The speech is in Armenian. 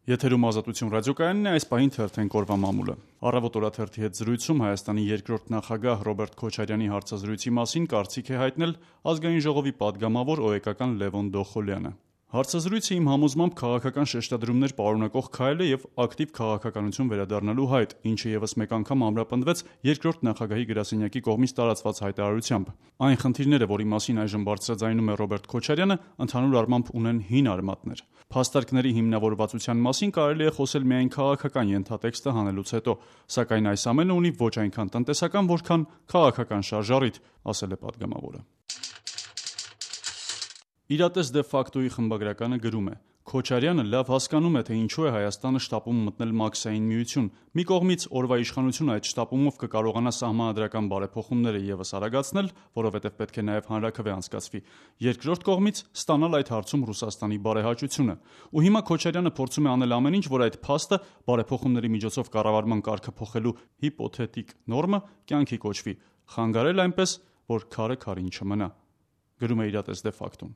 Եթերում Ազատություն ռադիոկայանն է, այս պահին թերթենք օրվա մամուլը։ Առավոտ օրաթերթի հետ զրույցում Հայաստանի երկրորդ նախագահ Ռոբերտ Քոչարյանի հարցազրույցի մասին կարծիք է հայտնել Ազգային ժողովի պատգամավոր ՕԵԿ-ական Լևոն Դոխոլյանը։ Հարցազրույցը իմ համոզմամբ քաղաքական շեշտադրումներ պարունակող քայլ է եւ ակտիվ քաղաքականություն վերադառնալու հայտ, ինչը եւս մեկ անգամ ամրապնդվեց երկրորդ նախագահի գրասենյակի կողմից տարածված հայտարարությամբ։ Այն խնդիրները, որի մասին այժմ բարձրաձայնում է Ռոբերտ Քոչարյանը, ընդհանուր առմամբ ունեն հին արմատներ։ Փաստարկների հիմնավորվածության մասին կարելի է խոսել միայն քաղաքական ենթատեքստը հանելուց հետո, սակայն այս ամենը ունի ոչ այնքան տնտեսական, որքան քաղաքական շարժառիթ, ասել է պատգամավորը։ Իրատես դե ֆակտոյի խմբագրականը գրում է. Քոչարյանը լավ հասկանում է, թե ինչու է Հայաստանը շտապում մտնել Մաքսային միություն։ Մի կողմից օրվա իշխանությունը այդ շտապումով կկարողանա սահմանադրական բարեփոխումները եւս արագացնել, որովհետեւ պետք է նաեւ հանրաքվե անցկացվի։ Երկրորդ կողմից ստանալ այդ հարցում Ռուսաստանի բարեհաճությունը։ Ու հիմա Քոչարյանը փորձում է անել ամեն ինչ, որ այդ փաստը բարեփոխումների միջոցով կառավարման կարգը փոխելու հիպոթետիկ նորմը կյանքի կոչվի, խանգարել այնպես, որ քարը քարին չմնա։ Գրում է իրատես դե ֆակտոն։